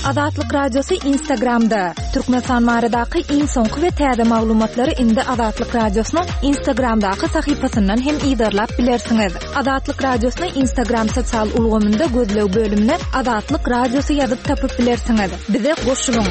Azatlyk Radiosy Instagramda! Türkmenistan baradaky iň soňky we täze maglumatlary indi Azatlyk Radiosynyň Instagramdaky sahypasyndan hem yzarlap bilersiňiz. Azatlyk Radiosyny Instagram sosial ulgamynda gözleg bölümine Azatlyk Radiosy ýazyp tapyp bilersiňiz. Bize goşulyň!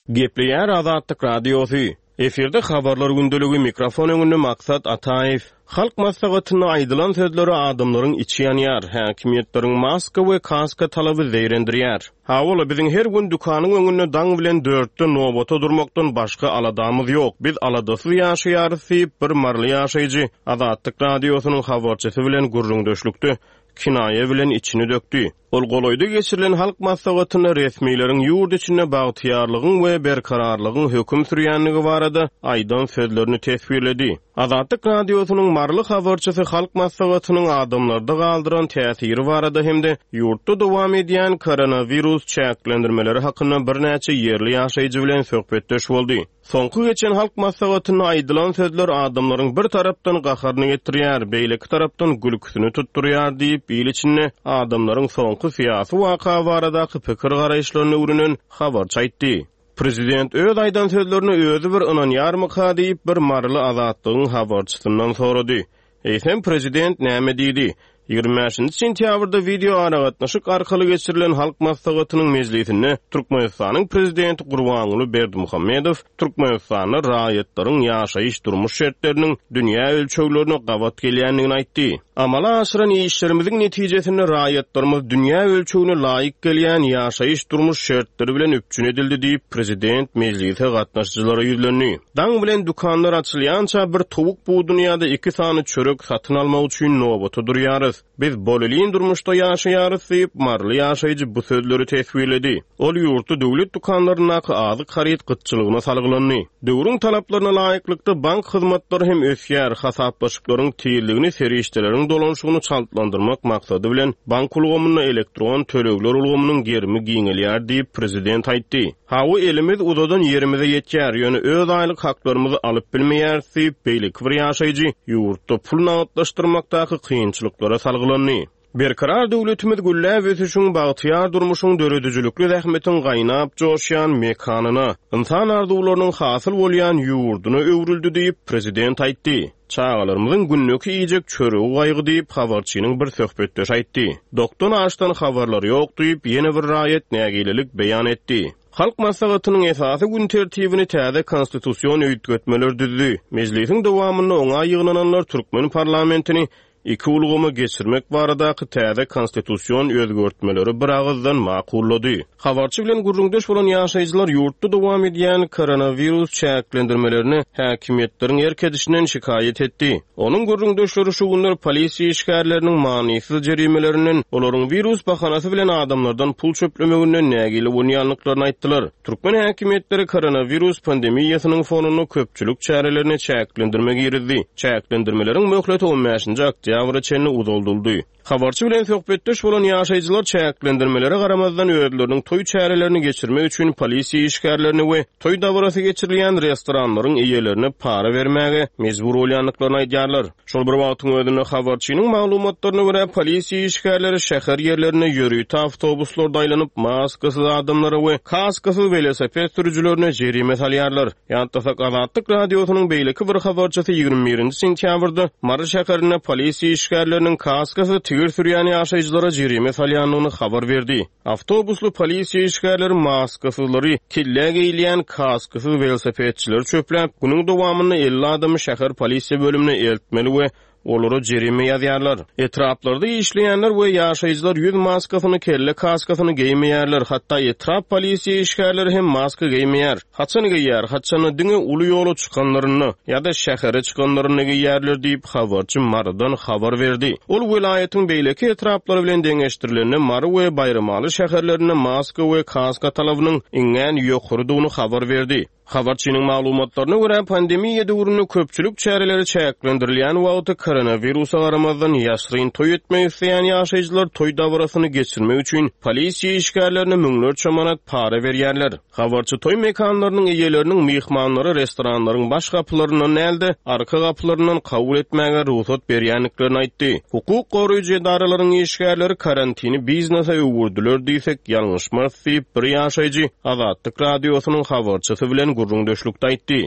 Gepleýär Azatlyk Radiosy. Efirde Habarlar gündeligi, mikrofon öňünde Maksat Ataýew. Halk maslahatynda aýdylan sözlere adamlaryň içi ýanýar, häkimiýetleriň maska we kaska talaby zeýrendirýär. Hawa-la, biziň her gün dükanyň öňünde daň bilen dörtde nobata durmakdan başga aladamyz ýok, biz aladasyz ýaşaýarys diýip, bir maryly ýaşaýjy Azatlyk Radiosynyň habarçysy bilen gürrüňdeşlikde kinaýa bilen içini dökdi. Ol golaýda geçirilen Halk Maslahatynda resmileriň ýurt içinde bagtyýarlygyň we berkararlygyň höküm sürýändigi barada aýdan sözlerini teswirledi. Azatlyk Radiosynyň maryly habarçysy Halk Maslahatynyň adamlarda galdyran täsiri barada hem-de ýurtda dowam edýän koronawirus çäklendirmeleri hakynda birnäçe ýerli ýaşaýjy bilen söhbetdeş boldy. Soňky geçen Halk Maslahatynda aýdylan sözler adamlaryň bir tarapdan gaharyny getirýär, beýleki tarapdan gülküsini tutdurýar diýip, il içinde adamlaryň soňky syýasy waka baradaky pikir-garaýyşlaryny öwrenen habarçy aýtdy. Prezident öz aýdan sözlerine özi bir ynanýarmyka diýip, bir maryly Azatlygyň habarçysyndan sorady. Eýsem, prezident näme diýdi? 25-nji sentýabrda wideoaragatnaşyk arkaly geçirilen Halk Maslahatynyň mejlisinde Türkmenistanyň Prezidenti Gurbanguly Berdimuhamedow Türkmenistanda raýatlaryň ýaşaýyş-durmuş şertleriniň dünýä ölçeglerine gabat gelýändigini aýtdy. Amala aşyran işlerimiziň netijesinde raýatlarymyz dünýä ölçegine laýyk gelýän ýaşaýyş-durmuş şertleri bilen üpjün edildi diýip, prezident mejlise gatnaşyjylara ýüzlendi. Daň bilen dükanlar açylýança bir towuk buduny ýa-da iki sany çörek satyn almak üçin nobata durýarys. Biz bolelin durmuşda ýaşaýarys diýip, maryly ýaşaýjy bu sözleri teswirledi. Ol ýurtda döwlet dükanlaryndaky azyk haryt gytçylygyna salgylandy. Döwrüň talaplaryna laýyklykda bank hyzmatlary hem ösýär, hasaplaşyklaryň tizligini, serişdeleriň dolanyşygyny çaltlandyrmak maksady bilen bank ulgamynda elektron tölegler ulgamynyň gerimi giňelýär diýip, prezident aýtdy. Hawa, elimiz uzadan ýerimize ýetýär, ýöne öz aýlyk haklarymyzy alyp bilmeýäris diýip, beýleki bir ýaşaýjy ýurtda pul nagtlaşdyrmakdaky kynçylyklara salgylandy. Berkarar döwletimiz gülläp ösüşiň, bagtyýar durmuşyň, döredijilikli zähmetiň gaýnap joşýan mekanyna, ynsan arzuwlarynyň hasyl bolýan ýurduna öwrüldi diýip, prezident aýtdy. Çagalarymyzyň gündeki iýjek çöregi gaýgy diýip, habarçynyň bir söhbetdeşi aýtdy. Dokdan-açdan habarlary ýok diýip, ýene bir raýat nägilelik beýan etdi. Halk Maslahatynyň esasy gün tertibini täze konstitusion üýtgetmeler düzdi. Mejlisiň dowamynda oňa ýygnananlar türkmen parlamentini iki ulgama geçirmek baradaky täze konstitusion özgertmeleri biragyzdan makullady. Habarçy bilen gürrüňdeş bolan ýaşaýjylar ýurtda dowam edýän koronawirus çäklendirmelerine häkimiýetleriň erk edişinden şikaýat etdi. Onuň gürrüňdeşleri şu günler polisiýa işgärleriniň manysyz jerimelerinden, olaryň wirus bahanasy bilen adamlardan pul çöplemeginden nägile bolýandyklaryny aýtdylar. Türkmen häkimiýetleri koronawirus pandemiýasynyň fonunda köpçülik çärelerine çäklendirme girizdi. Çäklendirmeleriň möhleti on bäşinji oktýabra çenli uzaldyldy. Habarçy bilen söhbetdeş bolan ýaşaýjylar çäklendirmelere garamazdan özleriniň toý çärelerini geçirmek üçin polisiýa işgärlerine we toý dabarasy geçirilýän restoranlaryň eýelerine para bermäge mejbur bolýandyklaryny aýdýarlar. Şol bir wagtyň özünde, habarçynyň maglumatlaryna görä, polisiýa işgärleri şäher ýerlerinde ýörite awtobuslarda aýlanyp, maskasyz adamlara we kaskasyz welosiped sürüjilerine jerime salýarlar. Ýatlasak, Azatlyk Radiosynyň beýleki bir habarçysy 21-nji sentýabrda Mary şäherinde polisiýa işgärleriniň kaskasyz tigir sürýän ýaşaýjylara jerime salýandygyny habar berdi. Awtobusly polisiýa işgärleri maskasyzlary, kellä geýilýän kaskasyz welosipedçileri çöpläp, günüň dowamynda 50 adamy şäher polisiýa bölümine eltmeli we Olara jerime ýazýarlar. Etraplarda işleýänler we ýaşaýjylar ýüz maskasyny, kelle kaskasyny geýmeýärler, hatda etrap polisiýa işgärleri hem maska geýmeýär. Haçan geýýär, haçanda diňe uly ýola çykanlarynda ýa-da şähere çykanlarynda geýýärler diýip, habarçy Marydan habar berdi. Ol welaýatyň beýleki etraplary bilen deňeşdirilende Mary we Baýramaly şäherlerinde maska we kaska talabynyň iňňän ýokarydygyny habar berdi. Habarçynyň maglumatlaryna görä, pandemiýa döwründe köpçülik çäreleri çäklendirilýän wagty koronawirusa garamazdan ýaşryn toý etmek isleýän ýaşaýjylar toý dabarasyny geçirmek üçin polisiýa işgärlerine müňlerçe manat para berýärler. Habarçy toý mekanlarynyň eýeleriniň myhmanlary restoranlaryň baş gapylaryndan däl-de, arka gapylaryndan kabul etmäge rugsat berýändiklerini aýtdy. Hukuk goraýjy edaralaryň işgärleri karantini biznese öwürdiler diýsek, ýalňyşmarys diýip, bir ýaşaýjy Azatlyk Radiosynyň habarçysy bilen gürrüňdeşlikde aýtdy.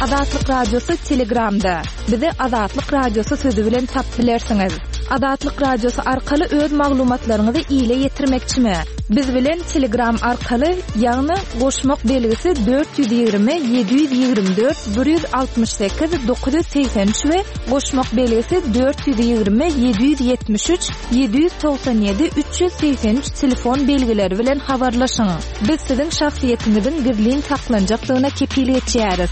Azatlyk Radiosy Telegramda. Bizi Azatlyk Radiosy sözi bilen tapyp bilersiňiz. Azatlyk Radiosy arkaly öz maglumatlaryňyzy ile ýetirmekçimi? Biz bilen Telegram arkaly, ýagny goşmak belgisi 420 724 168 983 we goşmak belgisi 420 773 797 383 telefon belgileri bilen habarlaşyň. Biz siziň şahsyýetiňiziň gizlin saklanjakdygyna kepil geçýäris.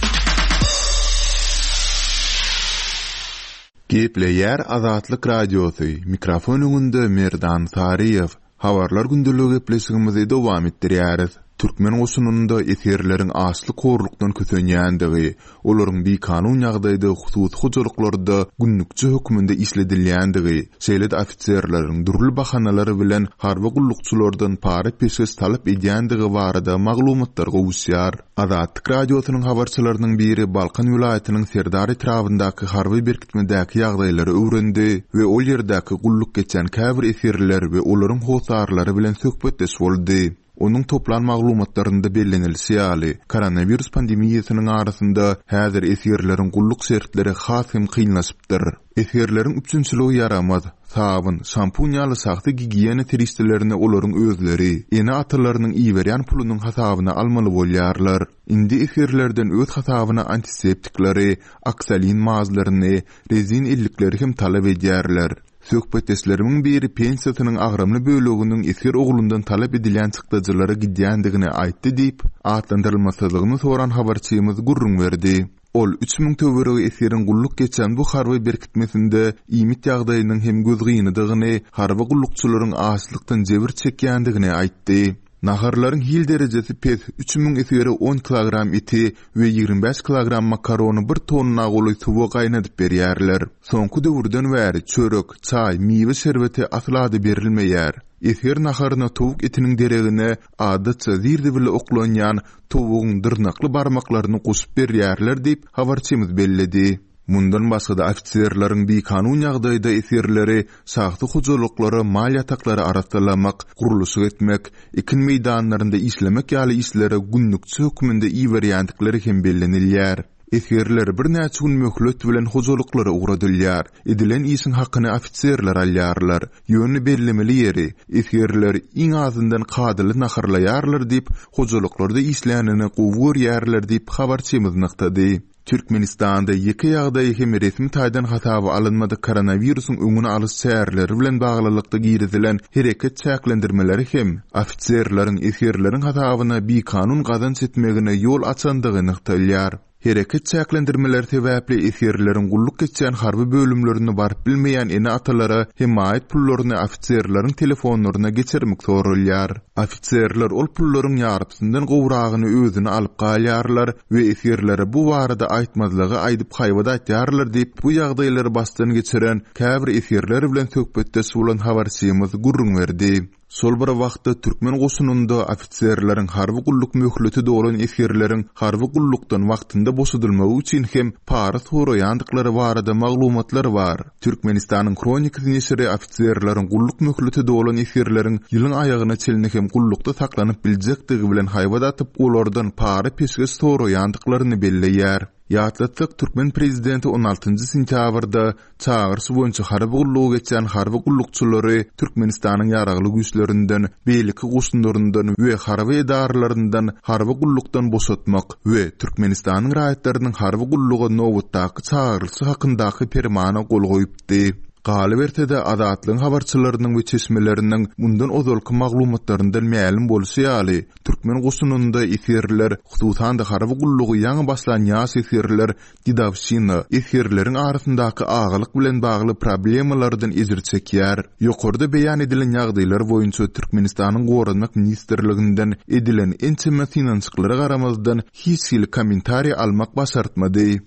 Gepleýär Azatlyk Radiosy, mikrofon öňünde Merdan Saryýew. Habarlar gündeligi gepleşigimizi dowam etdirýäris. Türkmen goşunynda esgerleriň açlyk-horlukdan kösenýändigi, olaryň bikanun ýagdaýda hususy hojalyklarda günlükçi hökmünde işledilýändigi, şeýle-de ofiserleriň dürli bahanalar bilen harby gullukçylardan para-peşgeş talap edýändigi barada maglumatlar gowuşýar. Azatlyk Radiosynyň habarçylarynyň biri Balkan welaýatynyň Serdar etrabyndaky harby berkitmedäki ýagdaýlary öwrendi we ol ýerdäki gulluk geçýän käbir esgerler we olaryň hossarlary bilen söhbetdeş boldy. Onuň toplan maglumatlarynda bellenilişi ýaly, koronawirus pandemiýasynyň arasynda häzir esgerleriň gulluk şertleri has hem kynlaşypdyr. Esgerleriň üpjünçiligi ýaramaz, sabyn, şampun ýaly şahsy gigiýena serişdelerini olaryň özleri, ene-atalarynyň iberýän pulunyň hasabyna almaly bolýarlar. Indi esgerlerden öz hasabyna antiseptikleri, oksolin mazlaryny, rezin ellikleri hem talap edýärler. Söhbetdeşlerimiň biri pensiýasynyň agramly böleginiň esger oglundan talap edilýän çykdajylara gidýändigini aýtdy diýip, atlandyrylmasyzlygyny soran habarçymyz gürrüň berdi. Ol 3000 töweregi esgeriň gulluk geçýän bu harby berkitmesinde iýmit ýagdaýynyň hem gözgynydygyny, harby gullukçylaryň açlykdan jebir çekýändigini aýtdy. Naharlaryň hil derejesi pes, 3000 esgere on kilogram eti we 25 kilogram makarony bir tonna golaý suwa gaýnadyp berýärler. Soňky döwürden bäri çörek, çaý, miwe şerbeti asla-da berilmeýär. Esger naharyna towuk etiniň deregine adatça zir-zibile oklanýan towugyň dyrnakly barmaklaryny goşup berýärler diýip, habarçymyz belledi. Mundan başga-da ofiserleriň bikanun ýagdaýda esgerleri şahsy hojalyklara mal ýataklary arassalamak, gurluşyk etmek, ekin meýdanlarynda işlemek ýaly işlere günlükçi hökmünde iberýändikleri hem bellenilýär. Esgerler birnäçe gün möhlet bilen hojalyklara ugradylýar. Edilen işiň hakyny ofiserler alýarlar. Ýöne bellemeli ýeri, esgerler iň azyndan kadaly naharlaýarlar diýip, hojalyklarda işlänini gowy görýärler diýip, habarçymyz nygtady. Türkmenistanda ýeke ýagdaýy hem resmi taýdan hasaba alynmadyk koronawirusyň öňüni alyş çäreleri bilen baglylykda girizilen hereket çäklendirmeleri hem ofiserleriň esgerleriň hasabyna bikanun gazanç etmegine ýol açandygy nygtalýar. Hereket çäklendirmeleri sebäpli esgerleriň gulluk geçýän harby bölümlerine baryp bilmeýän ene-atalara hemaýat pullaryny ofiserleriň telefonlaryna geçirmek soralýar. Ofiserler ol pullaryň ýarpysyndan gowragyny özüne alyp galýarlar we esgerlere bu barada aýtmazlygy aýdyp haýbat atýarlar diýip, bu ýagdaýlary başdan geçiren käbir esgerler bilen söhbetdeş bolan habarçymyz gürrüň berdi. Şol bir wagtda, türkmen goşunynda ofiserleriň harby gulluk möhleti dolan esgerleriň harby gullukdan wagtynda boşadylmagy üçin hem para soraýandyklary barada maglumatlar bar. Türkmenistanyň Hronikasy neşiri ofiserleriň gulluk möhleti dolan esgerleriň ýylyň aýagyna çenli hem gullukda saklanyp biljekdigi bilen haýbat atyp, olardan para-peşgeş soraýandyklaryny belleýär. Ýatlatsak, türkmen prezidenti on altynjy sentýabrda çagyryş boýunça harby gullugy geçýän harby gullukçylary Türkmenistanyň Ýaragly Güýçlerinden, beýleki goşunlaryndan we harby edaralaryndan harby gullukdan boşatmak we Türkmenistanyň raýatlarynyň harby gulluga nobatdaky çagyrylyşy hakyndaky Permana gol goýupdy. Galyberse-de, Azatlygyň habarçylarynyň we çeşmeleriniň mundan ozalky maglumatlaryndan mälim bolşy ýaly, türkmen goşunynda esgerler, hususan-da harby gullugy ýaňy başlan ýaş esgerler dedowşina, esgerleriň arasyndaky agalyk bilen bagly problemalardan ejir çekýär. Ýokarda beýan edilen ýagdaýlar boýunça Türkmenistanyň Goranmak ministrliginden edilen ençeme synanyşyklara garamazdan hiç hili kommentariý almak başartmady.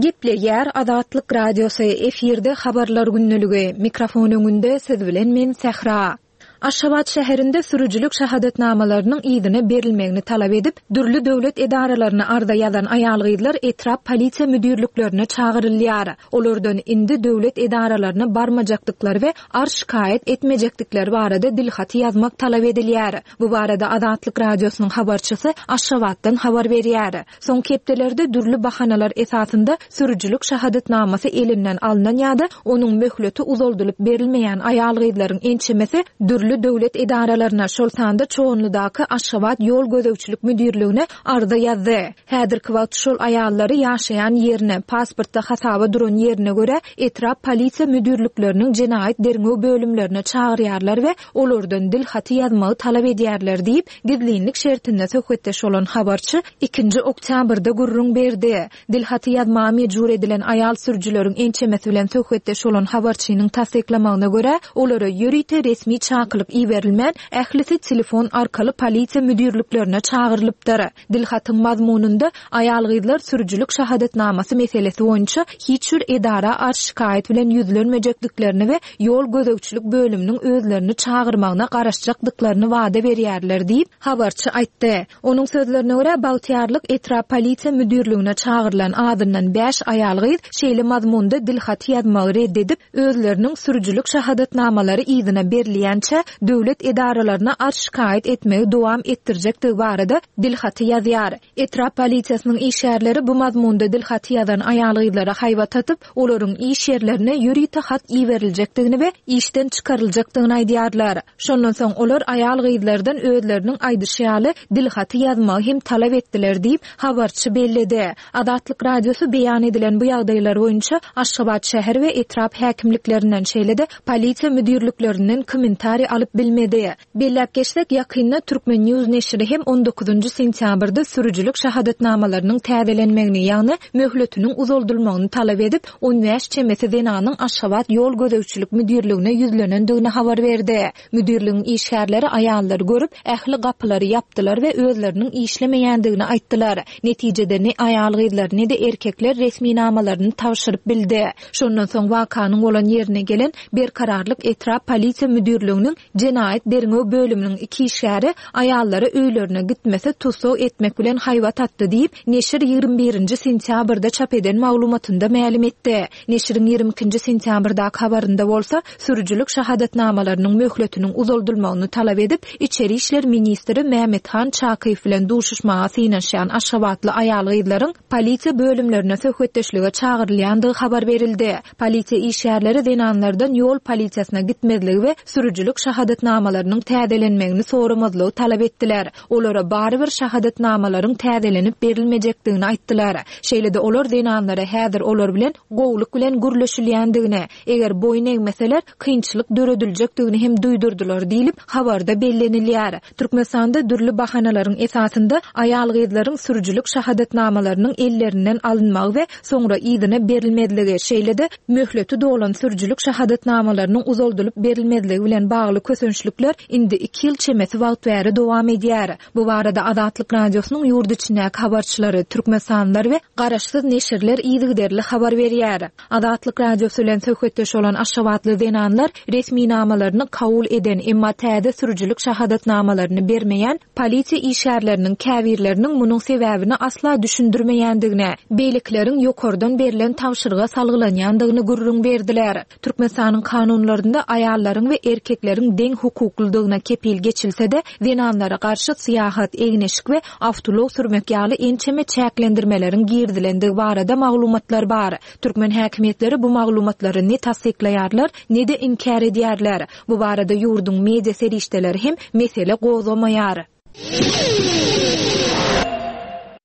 Gepleýär Azatlyk Radiosy, efirde Habarlar gündeligi, mikrofon öňünde siz bilen men Sähra. Aşgabat şäherinde sürüjilik şahadatnamalarynyň yzyna berilmegini talap edip, dürli döwlet edaralaryna arza ýazan aýal-gyzlar etrap polisiýa müdirliklerine çagyrylýar. Olardan indi döwlet edaralaryna barmajakdyklary we arz-şikaýat etmejekdikleri barada dilhaty ýazmak talap edilýär. Bu barada Azatlyk Radiosynyň habarçysy Aşgabatdan habar berýär. Soňky hepdelerde dürli bahanalar esasynda sürüjilik şahadatnamasy elinden alnan ýa-da onuň möhleti uzaldylyp berilmeýän aýal-gyzlaryň ençemesi dürli döwlet edaralaryna, şol sanda Çoganlydaky Aşgabat ýol gözegçilik müdirligine arza ýazdy. Häzirki wagt şol aýallary ýaşaýan ýerine, pasportda hasaba duran ýerine görä etrap polisiýa müdirlikleriniň jenaýat derňew bölümlerine çagyrýarlar we olardan dil haty ýazmagy talap edýärler diýip, gizlinlik şertinde söhbetdeş bolan habarçy ikinji oktýabrda gürrüň berdi. Dil haty ýazmaga mejbur edilen aýal sürüjileriň ençemesi bilen söhbetdeş bolan habarçynyň tassyklamagyna görä, olara ýörite resmi çakylyk iberilmän, ählisi telefon arkaly polisiýa müdirliklerine çagyrylypdyr. Dilhatyň mazmunynda aýal-gyzlar sürüjilik şahadatnamasy meselesi boýunça hiç bir edara arz-şikaýat bilen ýüzlenmejekdiklerini we ýol gözegçilik bölüminiň özlerini çagyrmagyna garaşjakdyklaryny wada berýärler diýip, habarçy aýtdy. Onuň sözlerine görä, Bagtyýarlyk etrap polisiýa müdirligine çagyrylan azyndan bäş aýal-gyz şeýle mazmunda dilhaty ýazmagy red edip, özleriniň sürüjilik şahadatnamalary yzyna berilýänçä döwlet edaralaryna arz-şikaýat etmegi dowam etdirjekdigi barada dilhaty ýazýar. Etrap polisiýasynyň işgärleri bu mazmunda dilhaty ýazan aýal-gyzlara haýbat atyp, olaryň iş ýerlerine ýörite hat iberiljekdigini we işden çykaryljakdygyny aýdýarlar. Şondan soň olar aýal-gyzlardan özleriniň aýdyşy ýaly dilhaty ýazmagy hem talap etdiler diýip, habarçy belledi. Azatlyk Radiosy beýan edilen bu ýagdaýlar boýunça Aşgabat şäher we etrap häkimliklerinden, şeýle-de polisiýa müdirliklerinden kommentariý alyp bilmedi. Belläp geçsek, ýakynda Turkmen. News neşiri hem on dokuzynjy sentýabrda sürüjilik şahadatnamalarynyň täzelenmegini, ýagny möhletiniň uzaldylmagyny talap edip, 15 çemesi zenanyň Aşgabat ýol gözegçilik müdirligine ýüzlenendigini habar berdi. Müdirligiň işgärleri aýallary görüp, ähli gapylary ýapdylar we özleriniň işlemeýändigini aýtdylar. Netijede ne aýal-gyzlar, ne-de erkekler resminamalaryny tabşyryp bildi. Şondan soň wakanyň bolan ýerine gelen Berkararlyk etrap polisiýa müdirliginiň jenaýat derňew bölüminiň iki işgäri aýallara öýlerine gitmese tussag etmek bilen haýbat atdy diýip, neşir 21 nji sentýabrda çap eden maglumatynda mälim etdi. Neşiriň 22 nji sentýabrdaky habarynda bolsa, sürüjilik şahadatnamalarynyň möhletiniň uzaldylmagyny talap edip, içeri işler ministri Mämmethan Çakyýew bilen duşuşmaga synanyşýan aşgabatly aýal-gyzlaryň polisiýa bölümlerine söhbetdeşlige çagyrylýandygy habar berildi. Polisiýa işgärleri zenanlardan ýol polisiýasyna gitmezligi we sürüjilik şahadatnamalarynyň täzelenmegini soramazlygy talap etdiler. Olara barybir şahadatnamalaryň täzelenip berilmejekdigini aýtdylar. Şeýle-de olar zenanlara häzir olar bilen gowulyk bilen gürleşilýändigini, eger boýun egmeseler, kynçylyk dörediljekdigini hem duýdurdylar diýlip, habarda bellenilýär. Türkmenistanda dürli bahanalaryň esasynda aýal-gyzlaryň sürüjilik şahadatnamalarynyň ellerinden alynmagy we soňra yzyna berilmezligi, şeýle-de möhleti dolan sürüjilik şahadatnamalarynyň uzaldylyp berilmezligi bilen bagly kösençlikler indi iki ýyl çemesi wagt bäri dowam edýär. Bu barada Azatlyk Radiosynyň ýurt içindäki habarçylary, türkmenistanlylar we garaşsyz neşirler yzygiderli habar berýär. Azatlyk Radiosy bilen söhbetdeş bolan aşgabatly zenanlar resminamalaryny kabul eden, emma täze sürüjilik şahadatnamalaryny bermeýän polisiýa işgärleriniň käbirleriniň munuň sebäbini asla düşündirmeýändigini, beýlekileriň ýokardan berlen tabşyryga salgylanýandygyny gürrüň berdiler. Türkmenistanyň kanunlarynda aýallaryň we erkekleriň deň hukuklydygyna kepil geçilse-de, zenanlara garşy syýahat, egin-eşik we awtoulag sürmek ýaly ençeme çäklendirmeleriň girizilendigi barada maglumatlar bar. Türkmen häkimiýetleri bu maglumatlary ne tassyklaýarlar, ne-de inkär edýärler. Bu barada ýurduň media serişdeleri hem mesele gozgamaýar.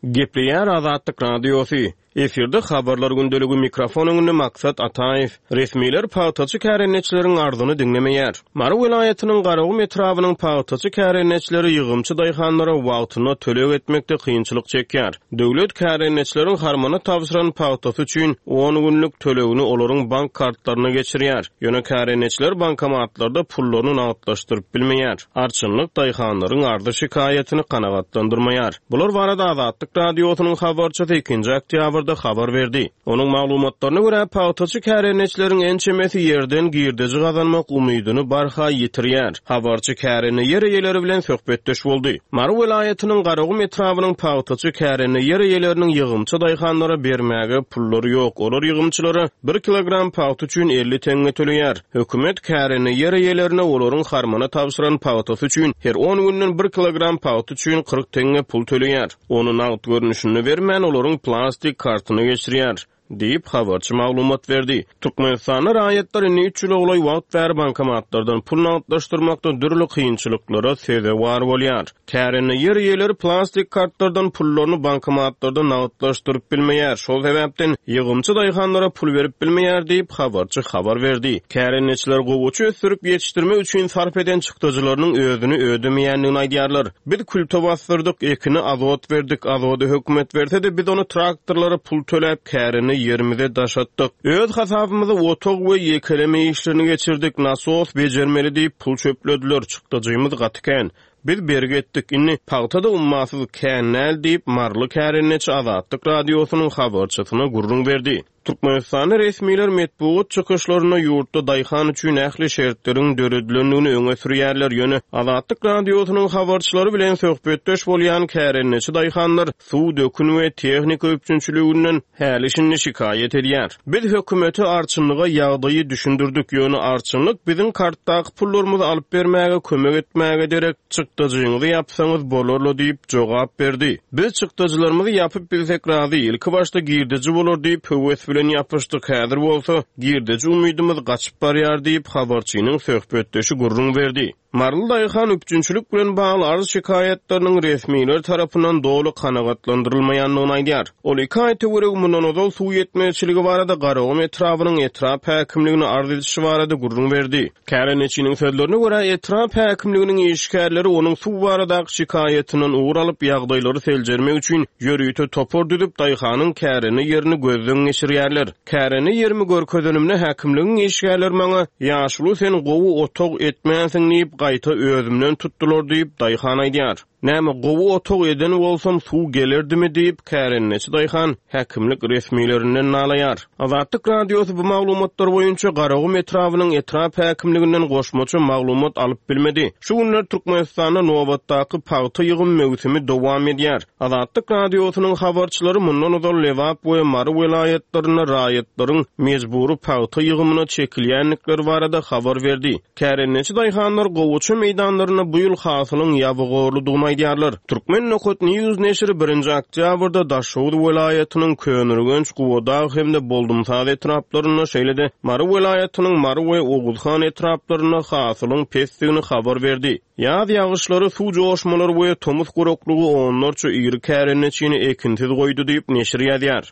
Gepleýär Azatlyk Radiosy. Efirde Habarlar gündeligi mikrofon öňünde Maksat Ataýew. Resmiler pagtaçy kärendeçileriň arzyny diňlemeýär. Mary welaýatynyň Garagum etrabynyň pagtaçy kärendeçileri ýygymçy daýhanlara wagtynda töleg etmekde kynçylyk çekýär. Döwlet kärendeçileriň harmana tabşyran pagtasy üçin on günlük tölegini olaryň bank kartlaryna geçirýär. Ýöne kärendeçiler bankomatlarda pullaryny nagtlaşdyryp bilmeýär. Arçynlyk daýhanlaryň arzy-şikaýatyny kanagatlandyrmaýar. Bular barada Azatlyk Radiosynyň habarçysy ikinji oktýabrda habar berdi. Onuň maglumatlaryna görä, pagtaçy kärendeçileriň ençemesi ýerden girdeji gazanmak umydyny barha ýitirýär. Habarçy kärende ýer eýeleri bilen söhbetdeş boldy. Mary welaýatynyň Garagum etrabynyň pagtaçy kärende ýer eýeleriniň ýygymçy daýhanlara bermäge pullary ýok. Olar ýygymçylara bir kilogram pagta üçin 50 teňňe töleýär. Hökümet kärende ýer eýelerine olaryň harmana tabşyran pagtasy üçin her on günden bir kilogram pagta üçin 40 teňňe pul töleýär. Ony nagt görnüşinde bermän, olaryň plastik kartyna geçirýär, diýip, habarçy maglumat berdi. Türkmenistanda raýatlar indi üç ýyla golaý wagt bäri bankomatlardan pul nagtlaşdyrmakda dürli kynçylyklara sezewar bolýar. Kärende ýer eýeleri plastik kartlardan pullaryny bankomatlarda nagtlaşdyryp bilmeýär, şol sebäpden ýygymçy daýhanlara pul berip bilmeýär diýip, habarçy habar berdi. Kärendeçiler gowaça ösdürip ýetişdirmek üçin sarp eden çykdajylarynyň özüni ödemeýändigini aýdýarlar. Biz külte basdyrdyk, ekine azot berdik, azody hökümet berse-de, biz ony traktorlara pul töläp, kärende ýerimize daşatdyk. Öz hasabymyza otag we ýekeleme işlerini geçirdik, nasos bejermeli diýip, pul çöplediler, çykdajymyz gaty kän. Biz bergi etdik, indi pagta-da ummasyz kän däl diýip, maryly kärendeçi Azatlyk Radiosynyň habarçysyna gürrüň berdi. Türkmenistanda resmiler metbugat çykyşlarynda ýurtda daýhan üçin ähli şertleriň döredilendigini öňe sürýärler, ýöne Azatlyk Radiosynyň habarçylary bilen söhbetdeş bolýan kärendeçi daýhanlar suw, dökün we tehnika üpjünçiliginden häli-şindi şikaýat edýär. Biz hökümete, arçynlyga ýagdaýy düşündirdik, ýöne arçynlyk biziň kartdaky pullarymyzy alyp bermäge kömek etmäge derek, Çykdajyňyzy ýapsaňyz bolar-la diýip, jogap berdi. Biz çykdajylarymyzy ýapyp bilsek razy, ilkibaşda girdeji bolar diýip, höwes bilen ýapyşdyk, häzir bolsa, girdeji umydymyz gaçyp barýar diýip, habarçynyň söhbetdeşi gürrüň berdi. Maryly daýhan üpjünçilik bilen bagly arz-şikaýatlarynyň resmiler tarapyndan doly kanagatlandyrylmaýandygyny aýdýar. Ol iki aý töweregi mundan ozal suw ýetmezçiligi barada Garagum etrabynyň etrap häkimligine arz edişi barada gürrüň berdi. Kärendeçiniň sözlerine görä, etrap häkimliginiň işgärleri onuň suw baradaky şikaýatyndan ugur alyp, ýagdaýlary seljermek üçin ýörite topar düzüp, daýhanyň kärende ýerini gözden geçirýärler. Kärende ýerimi görkezenimde häkimligiň işgärleri maňa, Ýaşuly sen gowy otag etmänsiň diýip, gaýta özümden tutdular diýip, daýhan aýdýar. Näme, gowy otag eden bolsam, suw gelerdimi diýip, kärendeçi daýhan häkimlik resmilerinden nalaýar. Azatlyk Radiosy bu maglumatlar boýunça Garagum etrabynyň etrap häkimliginden goşmaça maglumat alyp bilmedi. Şu günler Türkmenistanda nobatdaky pagta ýygym möwsümi dowam edýär. Azatlyk Radiosynyň habarçylary mundan ozal Lebap we Mary welaýatlarynda raýatlaryň mejbury pagta ýygymyna çekilýändikleri barada habar berdi. Kärendeçi daýhanlar gowaça meýdanlarynda bu ýyl hasylyň ýabygorludygyny aýdýarlar. Turkmen. News neşiri birinji oktýabrda Daşoguz welaýatynyň Köneürgenç, Gubadag hem-de Boldumsaz etraplarynda, şeýle-de Mary welaýatynyň Mary we Oguzhan etraplarynda hasylyň pesdigini habar berdi. Ýaz ýagyşlary, suw joşmalary we tomus guraklygy onlarça iri kärendeçini ekinsiz goýdy diýip, neşir ýazýar.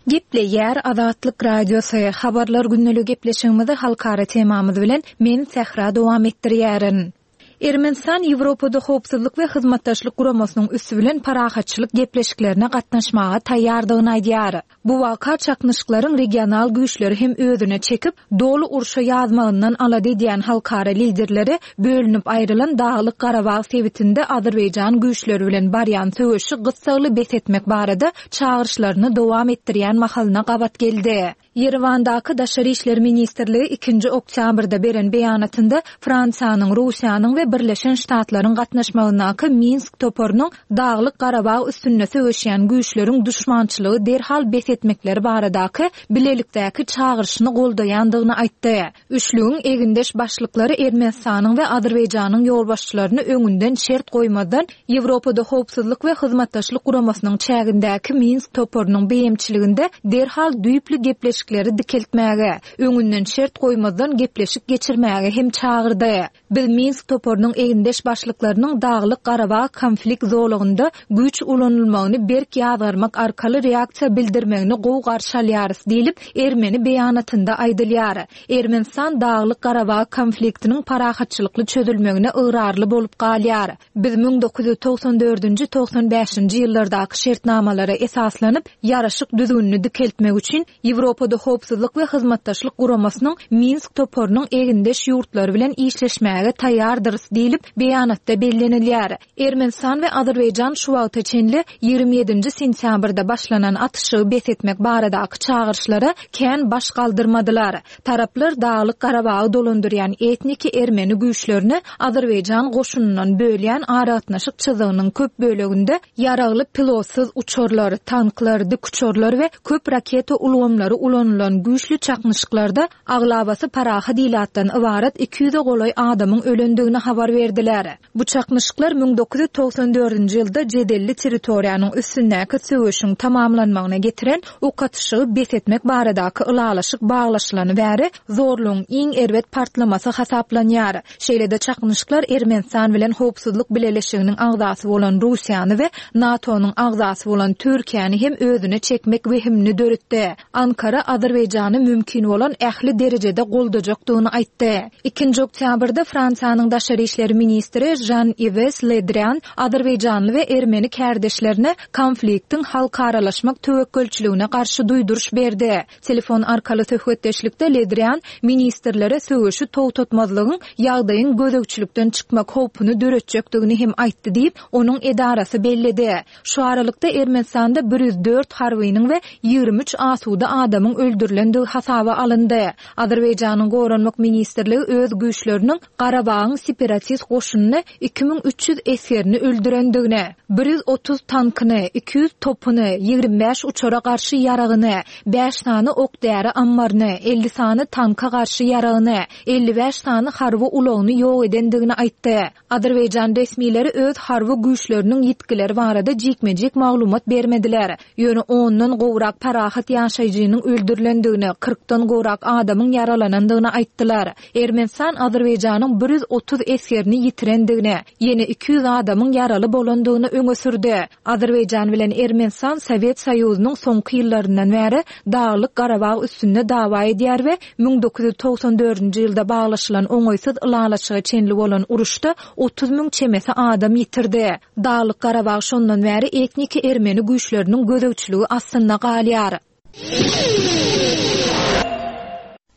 Gepleýär Azatlyk Radiosy, Habarlar gündeligi gepleşigimizi halkara temamyz bilen men Sähra dowam etdirýärin. Ermenistan Ýewropada Howpsuzlyk we Hyzmatdaşlyk Guramasynyň üsti bilen parahatçylyk gepleşiklerine gatnaşmaga taýýardygyny aýdýar. Bu waka çaknyşyklaryň regional güýçleri hem özüne çekip, doly urşa ýazmagyndan alada edýän halkara liderleri bölünip aýrylan Daglyk-Garabag sebitinde azerbaýjan güýçleri bilen barýan söweşi gyssagly bes etmek barada çagyryşlaryny dowam etdirýän mahalyna gabat geldi. Ýerewandaky Daşary işler ministrligi ikinji oktýabrda beren beýanatynda Fransiýanyň, Russiýanyň we Birleşen Ştatlaryň gatnaşmagyndaky Minsk toparynyň Daglyk-Garabag üstünde söweşýän güýçleriň duşmançylygy derhal bes etmekleri baradaky bilelikdäki çagyryşyny goldaýandygyny aýtdy. Üçlügiň egindeş başlyklary Ermenistanyň we Azerbaýjanyň ýolbaşçylaryny öňünden şert goýmazdan Ýewropada Howpsuzlyk we Hyzmatdaşlyk Guramasynyň çägindäki Minsk toparynyň beýemçiliginde derhal düýpli gepleşikleri. gepleşikleri dikeltmäge, öňünden şert goýmazdan gepleşik geçirmäge hem çagyrdy. Biz Minsk toparynyň egindeş başlyklarynyň Daglyk-Garabag konflikt zolagynda güýç ulanylmagyny berk ýazgarmak arkaly reaksiýa bildirmegini gowy garşy alýarys diýlip, ermeni beýanatynda aýdylýar. Ermenistan Daglyk-Garabag konfliktiniň parahatçylykly çözülmegine ygrarly bolup galýar. Biz 1994-nji, 95-nji ýyllardaky şertnamalara esaslanyp, ýaraşyk düzgünini dikeltmek üçin Ýewropada Howpsuzlyk we Hyzmatdaşlyk Guramasynyň Minsk toparynyň egindeş ýurtlary bilen işleşmäge taýýardyrys diýlip, beýanatda bellenilýär. Ermenistan we Azerbaýjan şu wagta çenli 27-nji sentýabrda başlanan atyşygy bes etmek baradaky çagyryşlara kän baş galdyrmadylar. Taraplar Daglyk-Garabagy dolandyrýan etniki ermeni güýçlerini azerbaýjan goşunyndan bölýän aragatnaşyk çyzygynyň köp böleginde ýaragly pilotsyz uçarlar, tanklar, dikuçarlar we köp raketa ulgamlary ulanylan güýçli çaknyşyklarda aglabasy parahat ilatdan ybarat 200-e golaý adamyň ölendigini habar berdiler. Bu çaknyşyklar 1994-nji ýylda jedelli territoriýanyň üstündäki söweşiň tamamlanmagyna getiren ok atyşygy bes etmek baradaky ylalaşyk baglaşylany bäri zorlugyň iň erbet partlamasy hasaplanýar. Şeýle-de çaknyşyklar Ermenistan bilen Howpsuzlyk Bileleşiginiň agzasy bolan Russiýany we NATO-nyň agzasy bolan Türkiýäni hem özüne çekmek wehimini döretdi. Ankara Azerbaýjany mümkin bolan ähli derejede goldajakdygyny aýtdy. Ikinji oktýabrda Fransiýanyň daşary işler ministri Žan-Iwes Le Drian azerbaýjanly we ermeni kärdeşlerine konfliktiň halkaralaşmak töwekgelçiligine garşy duýduryş berdi. Telefon arkaly söhbetdeşlikde Le Drian ministrlere söweşi togtatmazlygyň ýagdaýyň gözegçilikden çykmak howpuny döretjekdigini hem aýtdy diýip, onuň edarasy belledi. Şu aralykda, Ermenistanda 104 harbynyň we 23 asuda adamyň öldürilendigi hasaba alyndy. Azerbaýjanyň Goranmak ministrligi öz güýçleriniň Garabagyň separatist goşunyny 2300 esgerini öldürendigini, 130 tankyny, 200 topuny, 25 uçara garşy ýaragyny, bäş sany ok-däri ammaryny, 50 sany tanka garşy ýaragyny, 55 sany harby ulagyny ýok edendigini aýtdy. Azerbaýjan resmileri öz harby güýçleriniň ýitgileri barada jikme-jik maglumat bermediler. Ýöne ondan gowrak parahat ýaşaýjynyň öldürilendigini, kyrkdan gowrak adamyň ýaralanandygyny aýtdylar. Ermenistan Azerbaýjanyň 130 esgerini ýitirendigini, ýene 200 adamyň ýaraly bolandygyny öňe sürdi. Azerbaýjan bilen Ermenistan Sowet Soýuzynyň soňky ýyllaryndan bäri Daglyk-Garabag üstünde dawa edýär we 1994-nji ýylda baglaşylan oňaýsyz ylalaşyga çenli bolan uruşda 30 müň çemesi adam ýitirdi. Daglyk-Garabag şondan bäri etniki ermeni güýçleriniň gözegçiligi astynda galýar.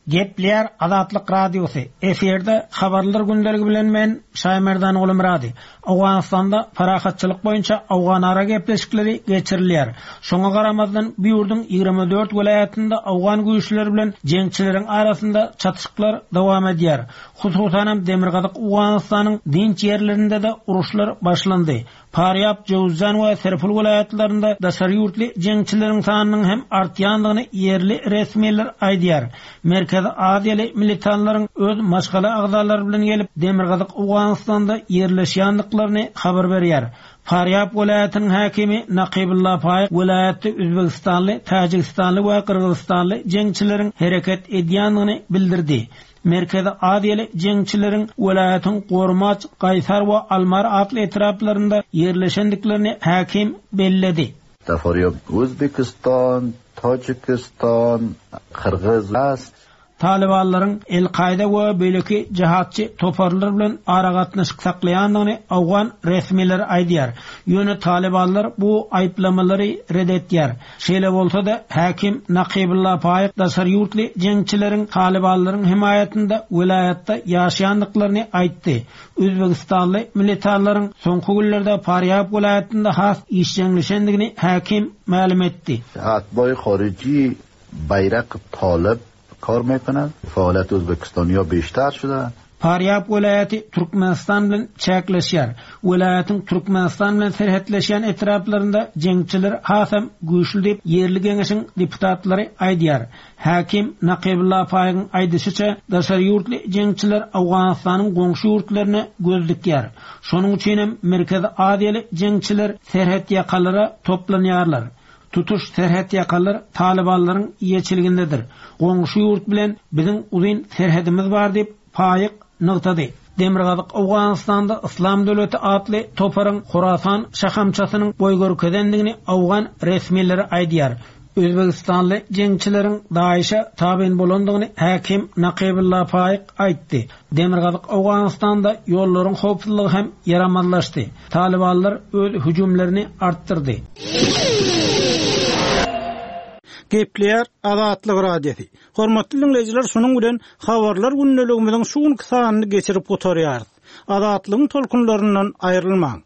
Gepleýär Azatlyk Radiosy, efirde Habarlar gündeligi bilen men, Şaýmerdan Gulumyrady. Owganystanda parahatçylyk boýunça owganara gepleşikleri geçirilýär. Şoňa garamazdan, bu ýurduň 24 welaýatynda owgan güýçleri bilen jeňçileriň arasynda çatyşyklar dowam edýär. Hususanam demirgazyk Owganystanyň dynç ýerlerinde-de uruşlar başlandy. Farýab, Jöwüzjan we Serpul welaýatlarynda daşary ýurtly jeňçileriň sanynyň hem artýandygyny ýerli resmiler aýdýar. Merkezi Aziýaly militanlaryň öz maşgala agzalary bilen gelip, demirgazyk Owganystanda ýerleşýändiklaryny habar berýär. Farýab welaýatynyň häkimi Nakybulla Faýyk welaýatda özbegistanly, täjigistanly we gyrgyzystanly jeňçileriň hereket edýändigini bildirdi. Merkezi Aziýaly jeňçileriň welaýatyň Gormaç, Gaýsar we Almar atly etraplarynda ýerleşendiklerini häkim belledi. Dafarýab Özbekistan, Täjikistan, Gyrgyz. Talybanlaryň El-Kaýda we beýleki jihatçy toparlar bilen aragatnaşyk saklaýandygyny owgan resmileri aýdýar. Ýöne talybanlar bu aýyplamalary ret etýär. Şeýle bolsa-da, häkim Nakybulla Faýyk daşary ýurtly jeňçileriň talybanlaryň hemaýatynda welaýatda ýaşaýandyklaryny aýtdy. Özbegistanly militanlaryň soňky günlerde Farýab welaýatynda has işjeňleşendigini häkim mälim etdi. Atbaý Horiji Baýrak Talyp Kar mekonad, faoliyat O'zbekistonyo beshtar shuda. Farýab welaýaty Türkmenistan bilen çäkleşýär. Welaýatyň Türkmenistan bilen serhetleşýän etraplarynda jeňçiler hasam güýçli diýip, ýerli geňeşiň deputatlary aýdýar. Häkim Nakybulla Faýygyň aýdyşyça, daşary ýurtly jeňçiler Owganystanyň goňşy ýurtlaryna göz dikýär. Şonuň üçinem Merkezi Aziýaly jeňçiler serhetýakalara toplanýarlar. Tutuş serhetýakalar talybanlaryň eýeçiligindedir. Goňşy ýurt bilen biziň uzyn serhedimiz bar diýip, Faýyk nygtady. Demirgazyk Owganystanda Yslam döwleti atly toparyň Horasan şahamçasynyň boý görkezendigini owgan resmileri aýdýar. Özbegistanly jeňçileriň DAIŞ-e tabyn bolandygyny häkim Nakybulla Faýyk aýtdy. Demirgazyk Owganystanda ýollaryň howpsuzlygy hem ýaramazlaşdy. Talybanlar öz hüjümlerini artdyrdy. Gepleýär Azatlyk Radiosy. Hormatly diňleýjiler şunuň bilen Habarlar gündeligimiziň şu günki sanyny geçirip gutarýarys. Azatlygyň tolkunlaryndan aýrylmaň.